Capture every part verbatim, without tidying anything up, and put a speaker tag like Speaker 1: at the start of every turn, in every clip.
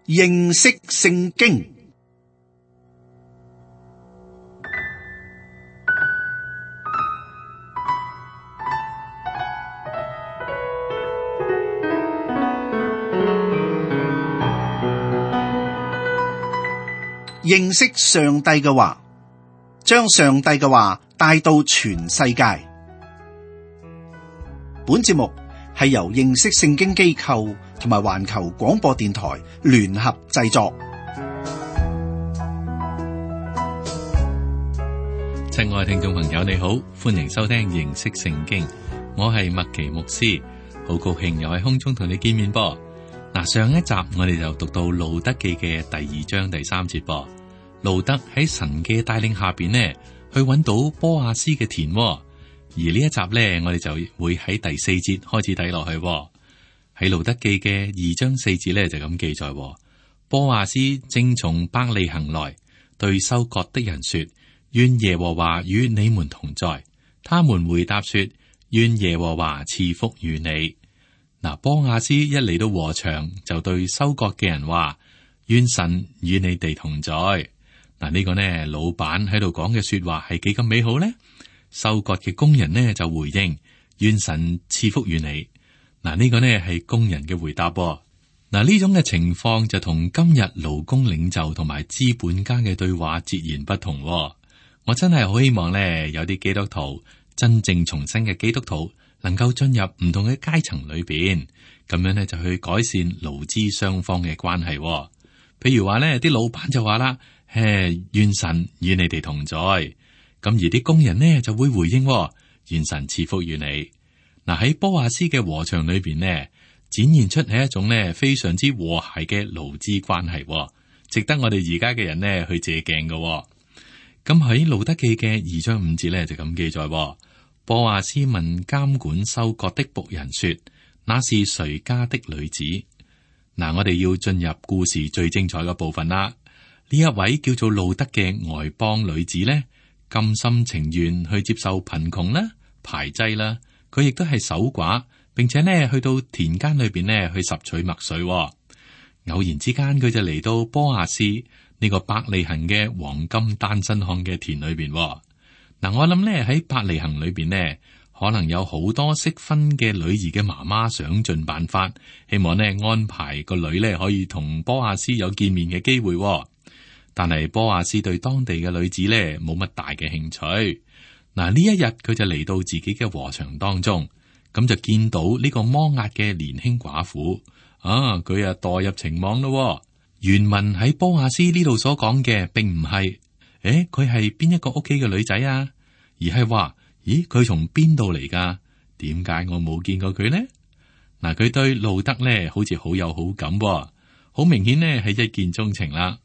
Speaker 1: 認識聖經。認識上帝嘅話，將上帝嘅話帶到全世界。本節目係由認識聖經機構同埋環球廣播電台聯合製作。
Speaker 2: 親愛聽眾朋友，你好，歡迎收聽認識聖經。我係麥奇牧師，好高興又喺空中同你見面噃。嗱，上一集我哋就讀到路得記嘅第二章第三節噃。路得喺神嘅帶領下邊呢，去揾到波亞斯嘅田，而呢一集呢，我哋就會喺第四節開始睇落去。喺路得記嘅二章四節呢，就咁記載：波亞斯正從伯利恆來，對收割的人說：願耶和華與你們同在。他們回答說：願耶和華賜福與你。嗱，波亞斯一嚟到禾場，就對收割嘅人話：願神與你哋同在。嗱，呢個呢，老闆喺度講嘅說話係幾咁美好呢？收割嘅工人呢就回應：願神賜福於你。嗱，呢個呢係工人嘅回答。嗱，呢種嘅情況就同今日勞工領袖同埋資本家嘅對話截然不同。我真係好希望呢，有啲基督徒真正重生嘅基督徒能夠進入唔同嘅階層裏邊，咁樣呢就去改善勞資雙方嘅關係。譬如話呢，啲老闆就話啦：誒，願神與你哋同在。咁而啲工人呢就會回應：願神賜福於你。嗱，喺波亞斯嘅禾場裏邊呢，展現出係一種呢非常之和諧嘅勞資關係，值得我哋而家嘅人呢去借鏡嘅。咁喺路得記嘅二章五節呢就咁記載：波亞斯問監管收割的僕人說：那是誰家的女子？嗱，我哋要進入故事最精彩嘅部分啦。呢一位叫做路得嘅外邦女子呢，甘心情願去接受貧窮啦、排擠啦，佢亦都係守寡，並且呢去到田間裏邊呢去拾取麥穗。偶然之間，佢就嚟到波亞斯呢個伯利恆嘅黃金單身漢嘅田裏邊。嗱，我諗呢喺伯利恆裏邊呢，可能有好多適婚嘅女兒嘅媽媽想盡辦法，希望呢安排個女呢可以同波亞斯有見面嘅機會。但係波亞斯對當地嘅女子咧冇乜大嘅興趣。嗱，呢一日佢就嚟到自己嘅禾場當中，咁就見到呢個摩押嘅年輕寡婦啊，佢啊墮入情網咯。原文喺波亞斯呢度所講嘅，並唔係誒佢係邊一個屋企嘅女仔啊，而係話咦佢從邊度嚟噶？點解我冇見過佢呢？嗱，佢對路得咧好似好有好感，好明顯呢係一見鍾情啦。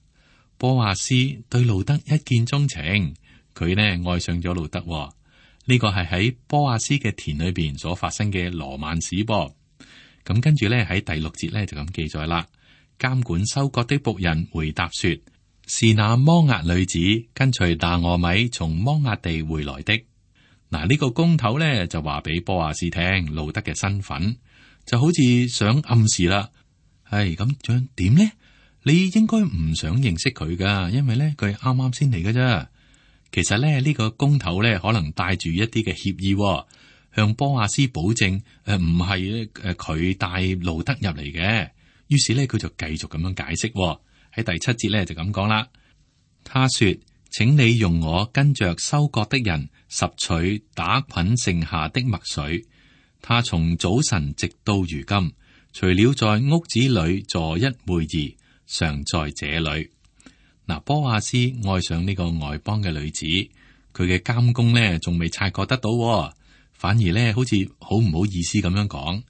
Speaker 2: 波亞斯對路得一見鍾情，佢呢愛上咗路得。呢個係喺波亞斯嘅田裏邊所發生嘅羅曼史噃。咁跟住呢，喺第六節呢就咁記載啦。監管收割的僕人回答說：是那摩押女子跟隨拿俄米從摩押地回來的。嗱，呢個工頭呢就話俾波亞斯聽路得嘅身份，就好似想暗示啦。係咁樣點呢？你應該唔想認識佢噶，因為咧佢啱啱先嚟噶啫。其實咧呢、呢個工頭咧可能帶住一啲嘅協議，向波亞斯保證誒唔係誒佢帶路得入嚟嘅。於是咧佢就繼續咁樣解釋喺第七節咧就咁講啦。他說：請你用我跟着收割的人拾取打捆剩下的麥穗。他從早晨直到如今，除了在屋子裏坐一會兒，常在這裏。嗱，波亞斯愛上呢個外邦嘅女子，佢嘅監工呢仲未察覺得到，反而呢好似好唔好意思咁樣講。誒、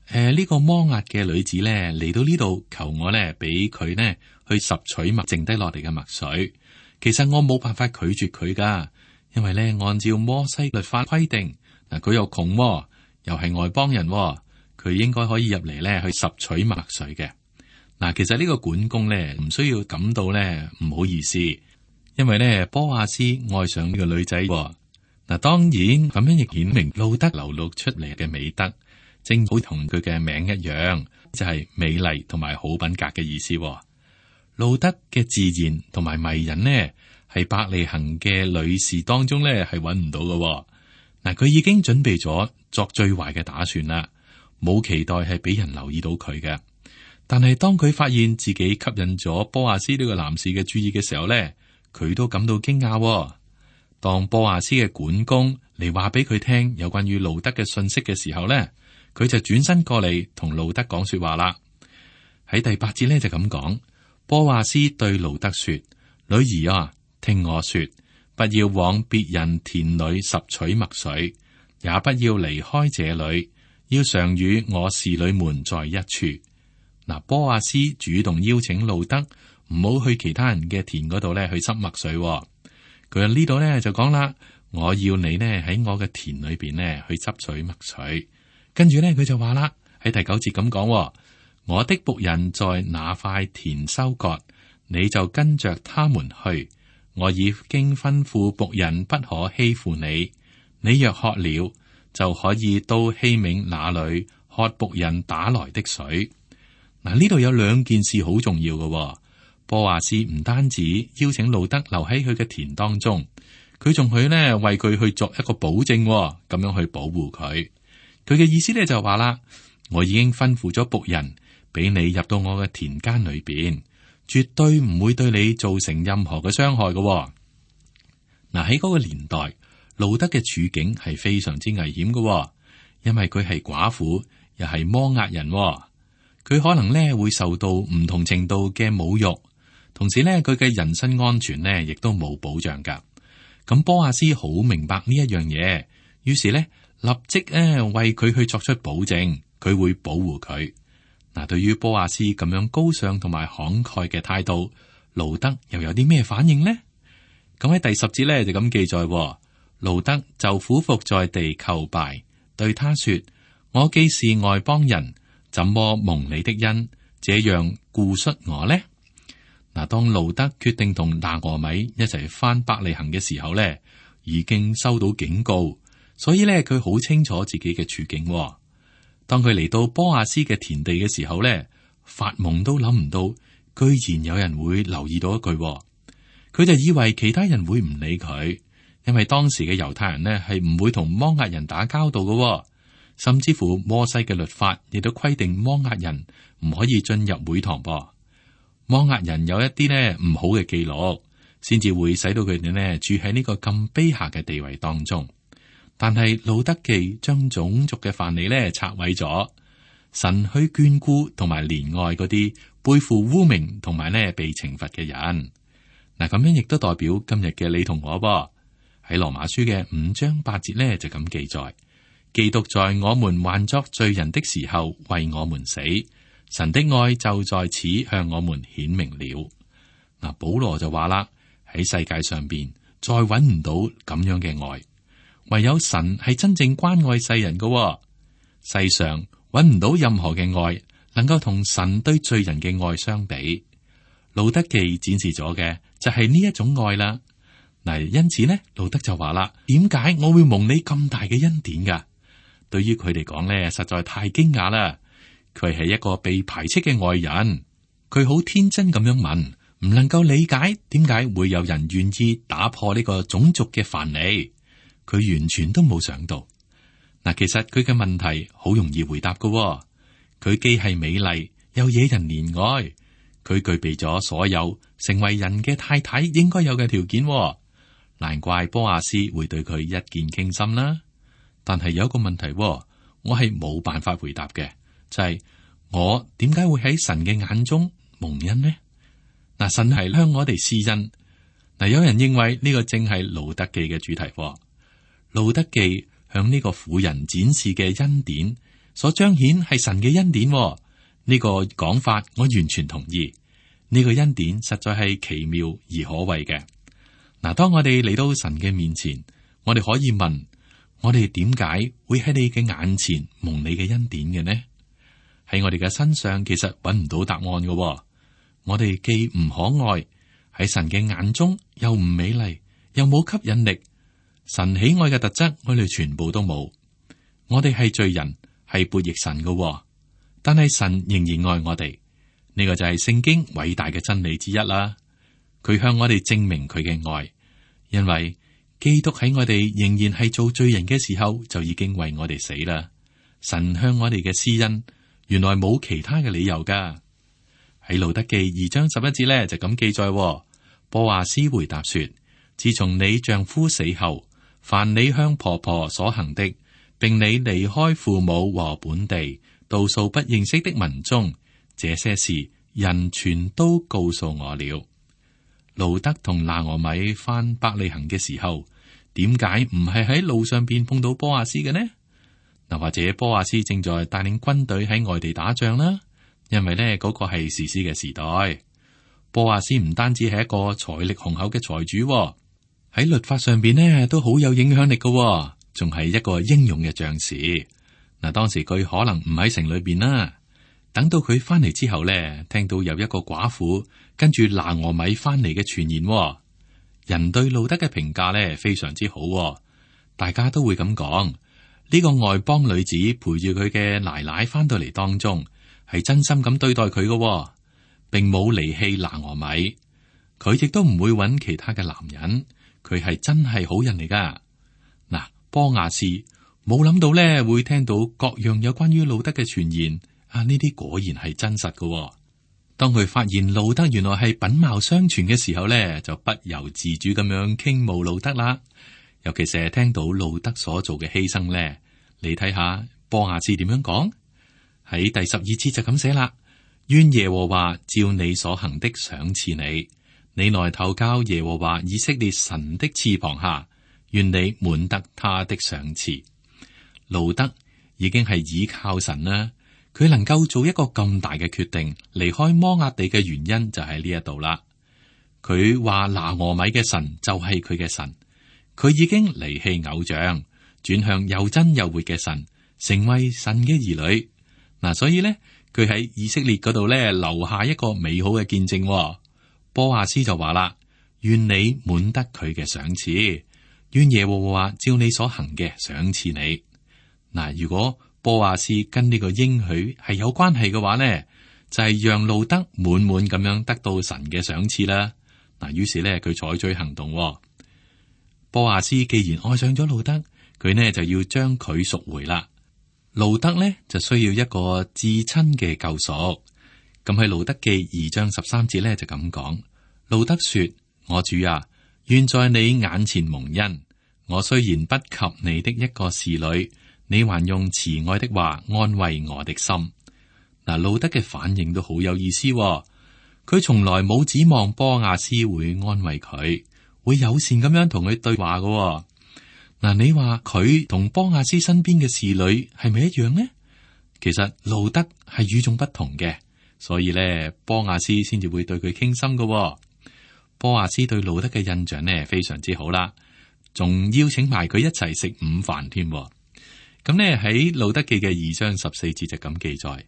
Speaker 2: 呃，呢、這個摩押嘅女子呢嚟到呢度求我呢俾佢呢去拾取麥剩低落嚟嘅麥穗。其實我冇辦法拒絕佢噶，因為呢按照摩西律法規定，嗱佢又窮，又係外邦人，佢應該可以入嚟呢去拾取麥穗嘅。嗱，其實呢個管工咧唔需要感到咧唔好意思，因為咧波亞斯愛上呢個女仔。嗱，當然咁樣亦顯明路得流露出嚟嘅美德，正好同佢嘅名一樣，就係美麗同埋好品格嘅意思。路得嘅自然同埋迷人呢，係伯利恆嘅女士當中呢係揾唔到嘅。嗱，佢已經準備咗作最壞嘅打算啦，冇期待係俾人留意到佢嘅。但係當佢發現自己吸引咗波阿斯呢個男士嘅注意嘅時候呢，佢都感到驚訝。當波阿斯嘅管工嚟話俾佢聽有關於路得嘅信息嘅時候呢，佢就轉身過嚟同路得講說話啦。喺第八節呢，就咁講，波阿斯對路得說：女兒啊，聽我說，不要往別人田裏拾取麥穗，也不要離開這裏，要常與我侍女們在一處。嗱，波阿斯主動邀請路得唔好去其他人嘅田嗰度咧去拾麥穗。佢喺呢度咧就講啦，我要你呢喺我嘅田裏邊呢去執取麥穗。跟住咧佢就話啦，喺第九節咁講，我的僕人在那塊田收割，你就跟着他們去。我已經吩咐僕人不可欺負你。你若渴了，就可以到器皿那裏喝僕人打來的水。嗱，呢度有兩件事好重要嘅。波阿斯唔單止邀請路得留喺佢嘅田當中，佢仲去呢為佢去作一個保證，咁樣去保護佢。佢嘅意思咧就話啦，我已經吩咐咗僕人俾你入到我嘅田間裏邊，絕對唔會對你造成任何嘅傷害嘅。嗱，喺嗰個年代，路得嘅處境係非常之危險嘅，因為佢係寡婦，又係摩押人，佢可能咧會受到唔同程度嘅侮辱，同時咧佢嘅人身安全呢亦都冇保障噶。咁波阿斯好明白呢一樣嘢，於是咧立即咧為佢去作出保證，佢會保護佢。嗱，對於波阿斯咁樣高尚同埋慷慨嘅態度，路得又有啲咩反應呢？咁喺第十節咧就咁記載，路得就俯伏在地叩拜，對他說：我既是外邦人，怎麼蒙你的恩，這樣顧恤我呢？嗱，當路得決定同拿俄米一齊翻伯利恆嘅時候咧，已經收到警告，所以咧佢好清楚自己嘅處境。當佢嚟到波阿斯嘅田地嘅時候咧，發夢都諗唔到，居然有人會留意到一句，佢就以為其他人會唔理佢，因為當時嘅猶太人呢係唔會同摩押人打交道嘅，甚至乎摩西嘅律法亦都規定摩押人唔可以進入會堂噃。摩押人有一啲呢唔好嘅記錄，先至會使到佢哋呢住喺呢個咁卑下嘅地位當中。但係路得記將種族嘅藩籬呢拆毀咗，神去眷顧同埋憐愛嗰啲背負污名同埋呢被懲罰嘅人。嗱，咁樣亦都代表今日嘅你同我噃。喺羅馬書嘅五章八節呢，就咁記載：基督在我們還作罪人的時候為我們死，神的愛就在此向我們顯明了。嗱，保羅就話啦，喺世界上邊再搵唔到咁樣嘅愛，唯有神係真正關愛世人嘅。世上搵唔到任何嘅愛能夠同神對罪人嘅愛相比。路得記展示咗嘅就係呢一種愛啦。嗱，因此呢，路得就話啦：點解我會蒙你咁大嘅恩典噶？對於佢嚟講呢，實在太驚訝啦。佢係一個被排斥嘅外人，佢好天真咁樣問，唔能夠理解點解會有人願意打破呢個種族嘅藩籬。佢完全都冇想到。嗱，其實佢嘅問題好容易回答噶。佢既係美麗，又惹人憐愛。佢具備咗所有成為人嘅太太應該有嘅條件，難怪波阿斯會對佢一見傾心啦。但係有一個問題，我係冇辦法回答嘅，就係、是、我點解會喺神嘅眼中蒙恩呢？嗱，神係向我哋施恩。嗱，有人認為呢個正係路得記嘅主題。路得記向呢個婦人展示嘅恩典，所彰顯係神嘅恩典。呢個講法我完全同意。呢個恩典實在係奇妙而可畏嘅。嗱，當我哋嚟到神嘅面前，我哋可以問：我哋點解會喺你嘅眼前蒙你嘅恩典嘅呢？喺我哋嘅身上，其實揾唔到答案嘅。我哋既唔可愛，喺神嘅眼中又唔美麗，又冇吸引力。神喜愛嘅特質，我哋全部都冇。我哋係罪人，係悖逆神嘅，但係神仍然愛我哋。呢個就係聖經偉大嘅真理之一啦。佢向我哋證明佢嘅愛，因為基督喺我哋仍然係做罪人嘅時候，就已經為我哋死啦。神向我哋嘅施恩，原來冇其他嘅理由噶。喺路得記二章十一節咧就咁記載，波阿斯回答說：自從你丈夫死後，凡你向婆婆所行的，並你離開父母和本地，到數不認識的民中，這些事人全都告訴我了。路得同拿俄米返伯利恆嘅時候，點解唔係喺路上邊碰到波阿斯嘅呢？嗱，或者波阿斯正在帶領軍隊喺外地打仗啦，因為呢嗰個係士師嘅時代。波阿斯唔單止係一個財力雄厚嘅財主，喺律法上邊呢都好有影響力嘅，仲係一個英勇嘅將士。嗱，當時佢可能唔喺城裏邊啦。等到佢翻嚟之後咧，聽到有一個寡婦跟住拿俄米翻嚟嘅傳言，人對路得嘅評價咧非常之好，大家都會咁講。呢個外邦女子陪住佢嘅奶奶翻到嚟當中，係真心咁對待佢嘅，並冇離棄拿俄米。佢亦都唔會揾其他嘅男人，佢係真係好人嚟噶。嗱，波阿斯冇諗到咧會聽到各樣有關於路得嘅傳言。啊！呢啲果然係真實嘅，哦。當佢發現路得原來係品貌雙全嘅時候咧，就不由自主咁樣傾慕路得啦。尤其是係聽到路得所做嘅犧牲咧，你睇下波阿斯點樣講？喺第十二節就咁寫啦：願耶和華照你所行的賞賜你，你來投靠耶和華以色列神的翅膀下，願你滿得他的賞賜。路得已經係倚靠神啦。佢能夠做一個咁大嘅決定，離開摩押地嘅原因就喺呢一度啦。佢話拿俄米嘅神就係佢嘅神，佢已經離棄偶像，轉向又真又活嘅神，成為神嘅兒女。嗱，所以咧，佢喺以色列嗰度咧留下一個美好嘅見證。波阿斯就話啦：願你滿得佢嘅賞賜，願耶和華照你所行嘅賞賜你。嗱，如果波阿斯跟呢個應許係有關係嘅話呢，就係、是、讓路得滿滿咁樣得到神嘅賞賜啦。嗱，於是呢，佢採取行動。波阿斯既然愛上咗路得，佢呢就要將佢贖回啦。路得呢就需要一個至親嘅救贖。咁喺路得記二章十三節呢就咁講：路得說，我主啊，願在你眼前蒙恩。我雖然不及你的一個侍女，你還用慈愛的話安慰我的心。嗱，路得嘅反應都好有意思，哦。佢從來冇指望波阿斯會安慰佢，會友善咁樣同佢對話嘅，哦。嗱，你話佢同波阿斯身邊嘅侍女係咪一樣呢？其實路得係與眾不同嘅，所以咧波阿斯先至會對佢傾心嘅，哦。波阿斯對路得嘅印象呢非常之好啦，仲邀請埋佢一齊食午飯添。咁呢喺路得記嘅二章十四節就咁記載，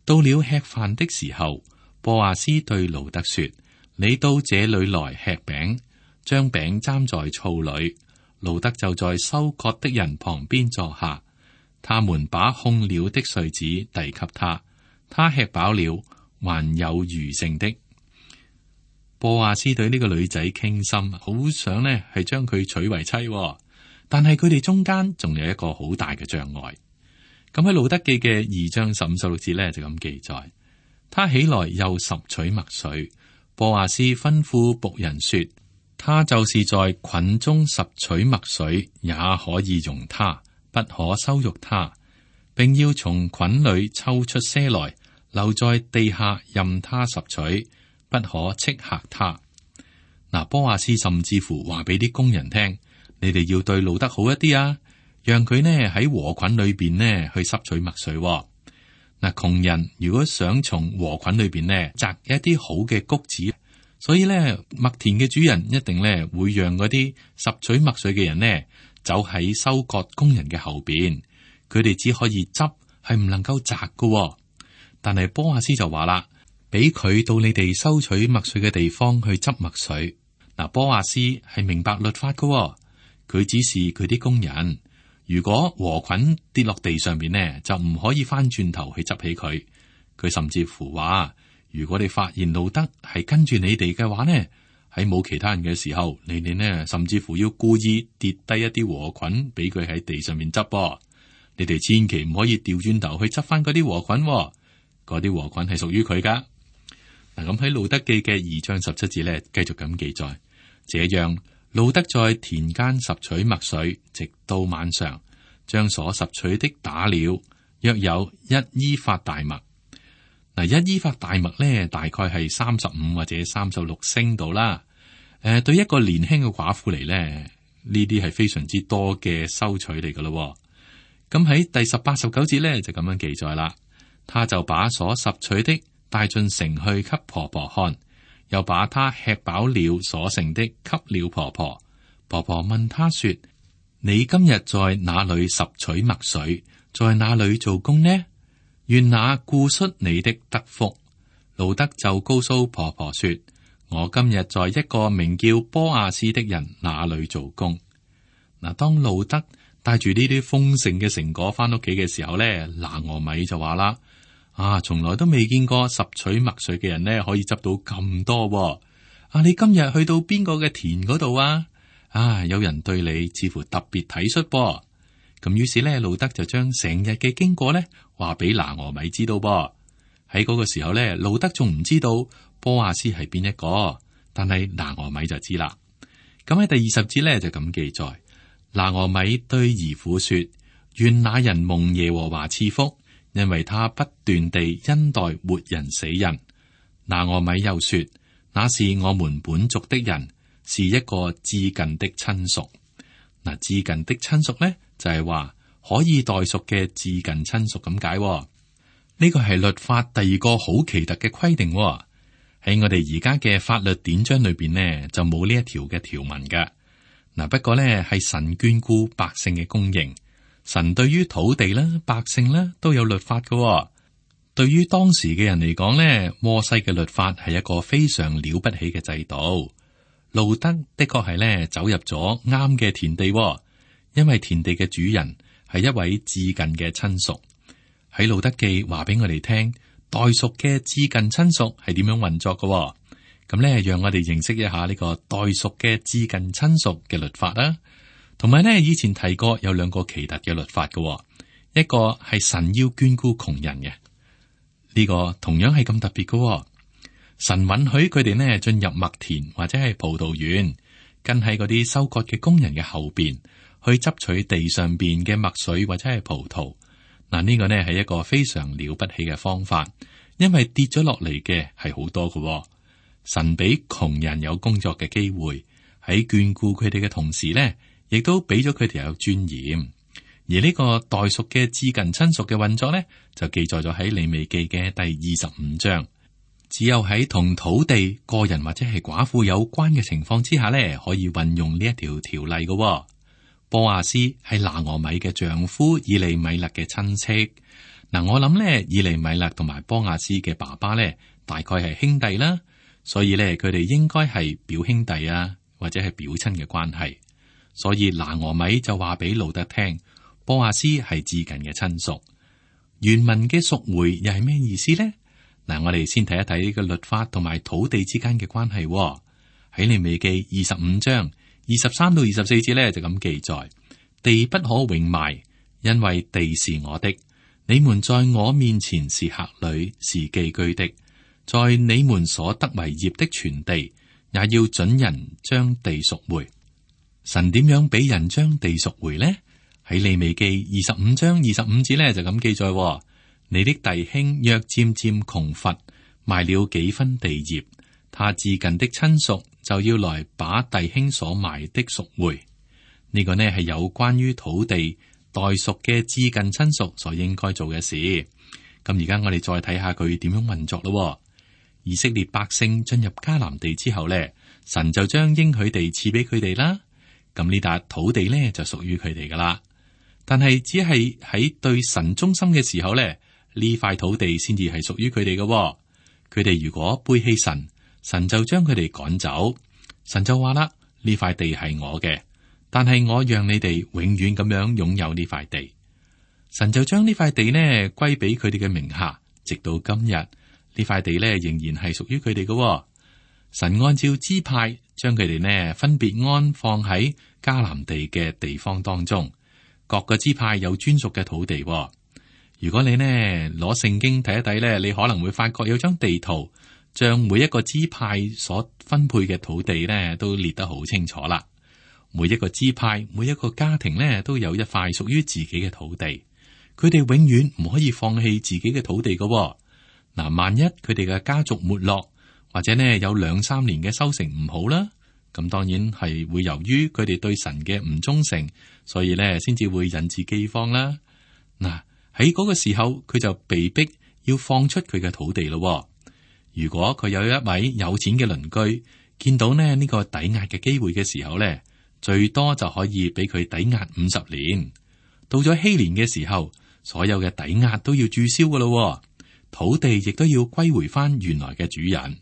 Speaker 2: 到了吃飯的時候，波阿斯對路得說：你到這裏來吃餅，將餅蘸在醋裏。路得就在收割的人旁邊坐下，他們把控了的穗子遞給他，他吃飽了，還有餘剩的。波阿斯對呢個女仔傾心，好想呢係將佢娶為妻，但係佢哋中間仲有一個好大嘅障礙。咁喺路得記嘅二章十五十六節呢，就咁記載，他起來又拾取麥穗。波阿斯吩咐僕人說，他就是在捆中拾取麥穗，也可以容他，不可羞辱他，並要從捆裏抽出些來，留在地下任他拾取，不可斥嚇他。嗱，波阿斯甚至乎話俾啲工人聽，你哋要對路得好一啲啊，讓佢呢喺禾捆裏邊呢去拾取麥穗。嗱，窮人如果想從禾捆裏邊呢摘一啲好嘅穀子，所以咧麥田嘅主人一定咧會讓嗰啲拾取麥穗嘅人呢走喺收割工人嘅後邊，佢哋只可以執，係唔能夠摘㗎。但係波阿斯就話啦，俾佢到你哋收取麥穗嘅地方去執麥穗。嗱，波阿斯係明白律法㗎，佢指示佢啲工人，如果禾捆跌落地上邊呢，就唔可以翻轉頭去執起佢。佢甚至乎話，如果你發現路德係跟住你哋嘅話呢，喺冇其他人嘅時候，你哋呢甚至乎要故意跌低一啲禾捆俾佢喺地上面執噃。你哋千祈唔可以調轉頭去執翻嗰啲禾捆，嗰啲禾捆係屬於佢噶。嗱，咁喺路德記嘅二章十七節呢，繼續咁記載，這樣路德在田間拾取麥穗，直到晚上，將所拾取的打了，約有一伊法大麥。嗱，一伊法大麥咧，大概係三十五或者三十六升度啦。誒、呃，對一個年輕嘅寡婦嚟咧，呢啲係非常之多嘅收取嚟噶咯。咁喺第十八、十九節咧就咁樣記載啦。他就把所拾取的帶進城去給婆婆看，又把他吃飽了所剩的給了婆婆。婆婆問他說：你今日在哪裏拾取麥穗，在哪裏做工呢？願那顧恤你的得福。路德就告訴婆婆說：我今日在一個名叫波亞斯的人那裏做工。嗱，當路德帶住呢啲豐盛嘅成果翻屋企嘅時候咧，拿俄米就話啦：啊，從來都未見過拾取麥穗嘅人咧可以執到咁多喎。啊，你今日去到邊個嘅田嗰度啊？啊，有人對你似乎特別體恤噃。咁於是咧，路德就將成日嘅經過咧話俾拿俄米知道噃。喺嗰個時候咧，路德仲唔知道波亞斯係邊一個，但係拿俄米就知啦。咁喺第二十節咧就咁記載：拿俄米對兒婦說：願那人蒙耶和華賜福，因為他不斷地恩待活人死人。拿俄米又說：那是我們本族的人，是一個至近的親屬。嗱，至近的親屬咧就係話可以代贖嘅至近親屬咁解。呢個係律法第二個好奇特嘅規定。喺我哋而家嘅法律典章裏邊呢，就冇呢一條嘅條文㗎。嗱，不過咧係神眷顧百姓嘅供應，神對於土地啦、百姓啦都有律法㗎。對於當時嘅人嚟講咧，摩西嘅律法係一個非常了不起嘅制度。路德的確係咧走入咗啱嘅田地，因為田地嘅主人係一位至近嘅親屬。喺路德記話俾我哋聽，代贖嘅至近親屬係點樣運作嘅。咁咧，讓我哋認識一下呢個代贖嘅至近親屬嘅律法啦。同埋咧，以前提過有兩個奇特嘅律法嘅，一個係神要眷顧窮人嘅，呢個同樣係咁特別嘅。神允許佢哋呢進入麥田或者係葡萄園，跟喺嗰啲收割嘅工人嘅後邊去執取地上邊嘅麥穗或者係葡萄。嗱，呢個呢係一個非常了不起嘅方法，因為跌咗落嚟嘅係好多嘅。神俾窮人有工作嘅機會，喺眷顧佢哋嘅同時呢，亦都俾咗佢哋有尊嚴。而呢個代贖嘅至近親屬嘅運作呢，就記載咗喺利未記嘅第二十五章。只有喺同土地、個人或者係寡婦有關嘅情況之下呢，可以運用呢一條條例嘅。波亞斯係拿俄米嘅丈夫以利米勒嘅親戚。嗱，我諗呢，以利米勒同埋波亞斯嘅爸爸呢，大概係兄弟啦，所以呢，佢哋應該係表兄弟啊，或者係表親嘅關係。所以拿俄米就話俾路德聽，波亞斯係至近嘅親屬。原文嘅贖回又係咩意思呢？嗱，我哋先睇一睇呢個律法同埋土地之間嘅關係。喺利未記二十五章二十三到二十四節咧，就咁記載：地不可永賣，因為地是我的。你們在我面前是客旅，是寄居的。在你們所得為業的全地，也要准人將地贖回。神點樣俾人將地贖回呢？喺利未記二十五章二十五節咧，就咁記載。你的弟兄若漸漸窮乏，賣了幾分地業，他至近的親屬就要來把弟兄所賣的贖回。呢、這個呢係有關於土地代贖嘅至近親屬所應該做嘅事。咁而家我哋再睇下佢點樣運作咯。以色列百姓進入迦南地之後呢，神就將應許地賜俾佢哋啦。咁呢笪土地呢就屬於佢哋噶啦。但係只係喺對神忠心嘅時候呢，呢塊土地先至係屬於佢哋嘅。佢哋如果背棄神，神就將佢哋趕走。神就話啦：呢塊地係我嘅，但係我讓你哋永遠咁樣擁有呢塊地。神就將呢塊地呢歸俾佢哋嘅名下，直到今日呢呢塊地咧仍然係屬於佢哋嘅。神按照支派將佢哋呢分別安放喺迦南地嘅地方當中，各個支派有專屬嘅土地。如果你呢攞聖經睇一睇咧，你可能會發覺有張地圖，將每一個支派所分配嘅土地呢都列得好清楚啦。每一個支派、每一個家庭呢都有一塊屬於自己嘅土地，佢哋永遠唔可以放棄自己嘅土地嘅。嗱，萬一佢哋嘅家族沒落，或者呢有兩三年嘅收成唔好啦，咁當然係會由於佢哋對神嘅唔忠誠，所以呢先至會引致饑荒啦。嗱，喺嗰個時候，佢就被逼要放出佢嘅土地咯。如果佢有一位有錢嘅鄰居，見到呢呢個抵押嘅機會嘅時候呢，最多就可以俾佢抵押五十年。到咗禧年嘅時候，所有嘅抵押都要註銷噶咯，土地亦都要歸回翻原來嘅主人。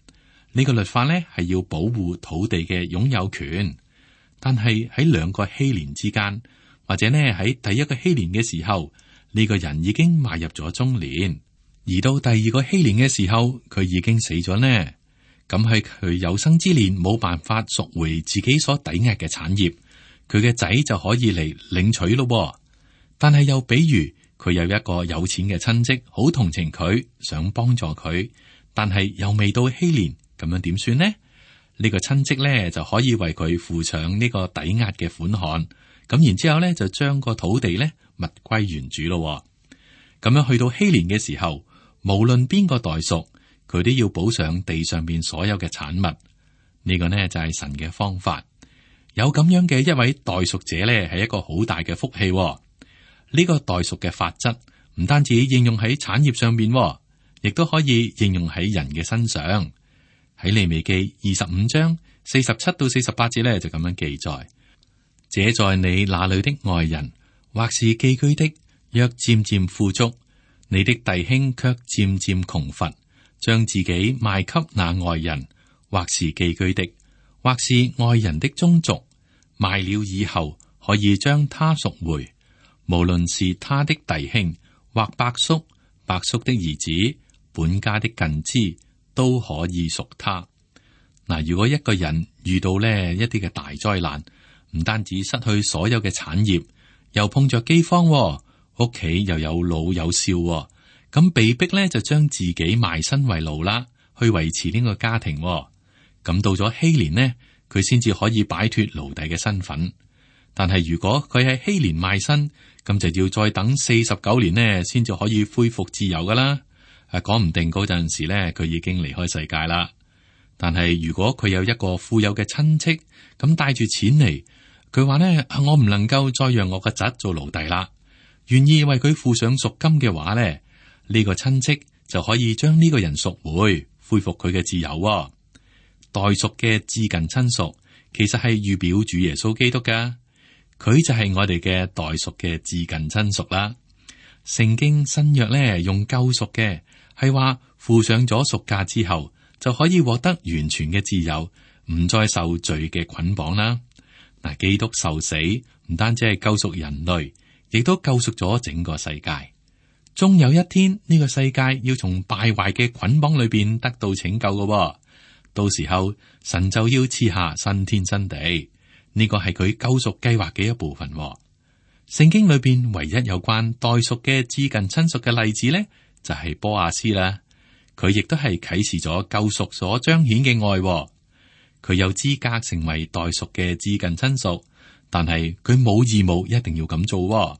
Speaker 2: 呢個律法呢係要保護土地嘅擁有權，但係喺兩個禧年之間，或者呢喺第一個禧年嘅時候，呢個人已經邁入咗中年，而到第二個禧年嘅時候，佢已經死咗呢。咁係佢有生之年冇辦法贖回自己所抵押嘅產業，佢嘅仔就可以嚟領取咯。但係又比如佢有一個有錢嘅親戚，好同情佢，想幫助佢，但係又未到禧年。咁樣點算呢？呢、呢個親戚咧就可以為佢付上呢個抵押嘅款項，咁然之後咧就將個土地咧物歸原主咯。咁樣去到禧年嘅時候，無論邊個代贖，佢都要補上地上邊所有嘅產物。呢、呢個呢就係神嘅方法。有咁樣嘅一位代贖者咧，係一個好大嘅福氣。呢、呢個代贖嘅法則唔單止應用喺產業上邊，亦都可以應用喺人嘅身上。喺利未記二十五章四十七到四十八節咧，就咁樣記載：這在你那裏的外人，或是寄居的，若漸漸富足，你的弟兄卻漸漸窮乏，將自己賣給那外人，或是寄居的，或是外人的宗族，賣了以後，可以將他贖回，無論是他的弟兄，或伯叔、伯叔的兒子、本家的近支，都可以贖他。嗱，如果一個人遇到呢一啲嘅大災難，唔單止失去所有嘅產業，又碰着饑荒，屋企又有老有少，咁被逼咧就將自己賣身為奴啦，去維持呢個家庭。咁到咗禧年呢，佢先至可以擺脫奴隸嘅身份。但係如果佢喺禧年賣身，咁就要再等四十九年呢，先至可以恢復自由噶啦。誒，講唔定嗰陣時咧，佢已經離開世界啦。但係如果佢有一個富有嘅親戚，咁帶住錢嚟，佢話呢，我唔能夠再讓我個侄做奴隸啦，願意為佢付上贖金嘅話呢，呢個親戚就可以將呢個人贖回，恢復佢嘅自由。代贖嘅至近親屬，其實係預表主耶穌基督噶，佢就係我哋嘅代贖嘅至近親屬啦。聖經新約咧用救贖嘅。係話付上咗贖價之後，就可以獲得完全嘅自由，唔再受罪嘅捆綁啦。嗱，基督受死唔單止係救贖人類，亦都救贖咗整個世界。終有一天呢個世界要從敗壞嘅捆綁裏邊得到拯救嘅，到時候神就要賜下新天新地，呢個係佢救贖計劃嘅一部分。聖經裏邊唯一有關代贖嘅至近親屬嘅例子咧，就係波亞斯啦，佢亦都係啟示咗救贖所彰顯嘅愛，佢有資格成為代贖嘅至近親屬，但係佢冇義務一定要咁做。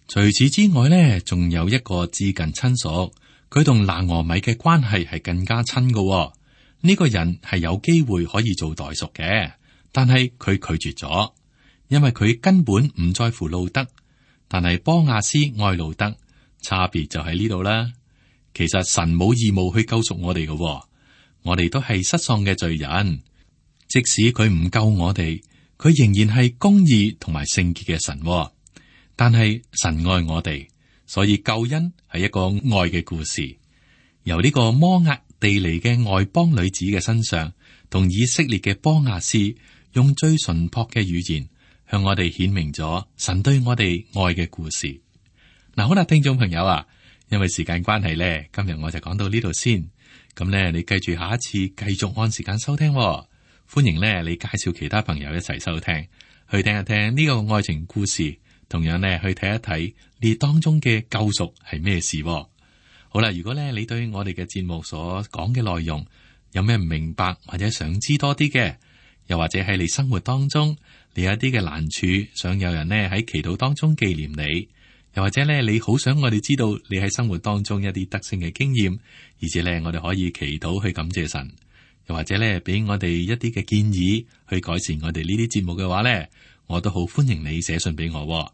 Speaker 2: 除此之外咧，仲有一個至近親屬，佢同拿俄米嘅關係係更加親嘅。呢個人係有機會可以做代贖嘅，但係佢拒絕咗，因為佢根本唔在乎路得，但係波亞斯愛路得。差別就喺呢度啦。其實神冇義務去救贖我哋嘅，我哋都係失喪嘅罪人。即使佢唔救我哋，佢仍然係公義同埋聖潔嘅神。但係神愛我哋，所以救恩係一個愛嘅故事。由呢個摩押地嚟嘅外邦女子嘅身上，同以色列嘅波亞斯用最純樸嘅語言向我哋顯明咗神對我哋愛嘅故事。嗱，好啦，聽眾朋友啊，因為時間關係咧，今日我就講到呢度先。咁咧，你記住下一次繼續按時間收聽喎。歡迎咧，你介紹其他朋友一齊收聽，去聽一聽呢個愛情故事，同樣咧去睇一睇你當中嘅救贖係咩事喎。好啦，如果咧你對我哋嘅節目所講嘅內容有咩唔明白，或者想知多啲嘅，又或者喺你生活當中你有一啲嘅難處，想有人咧喺祈禱當中紀念你，又或者咧你好想我哋知道你喺生活當中一啲得勝嘅經驗，而且咧我哋可以祈禱去感謝神，又或者咧俾我哋一啲嘅建議去改善我哋呢啲節目嘅話咧，我都好歡迎你寫信俾我。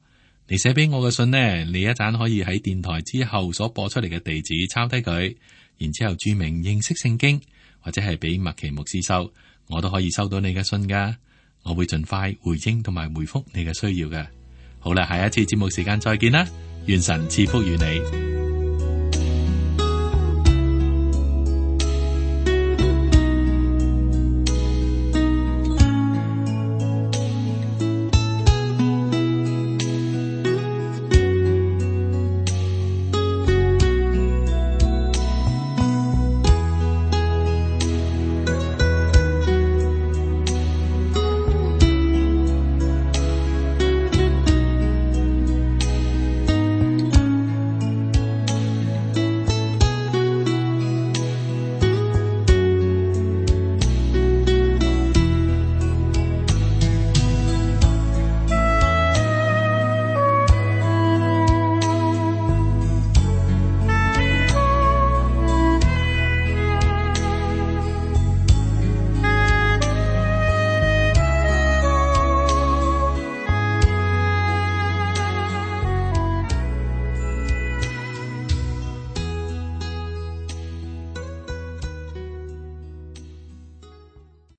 Speaker 2: 你寫俾我嘅信呢，你一陣可以喺電台之後所播出嚟嘅地址抄低佢，然之後注明認識聖經，或者係俾麥奇牧師收，我都可以收到你嘅信噶。我會盡快回應同埋回覆你嘅需要嘅。好啦，下一次節目時間再見啦，願神賜福於你。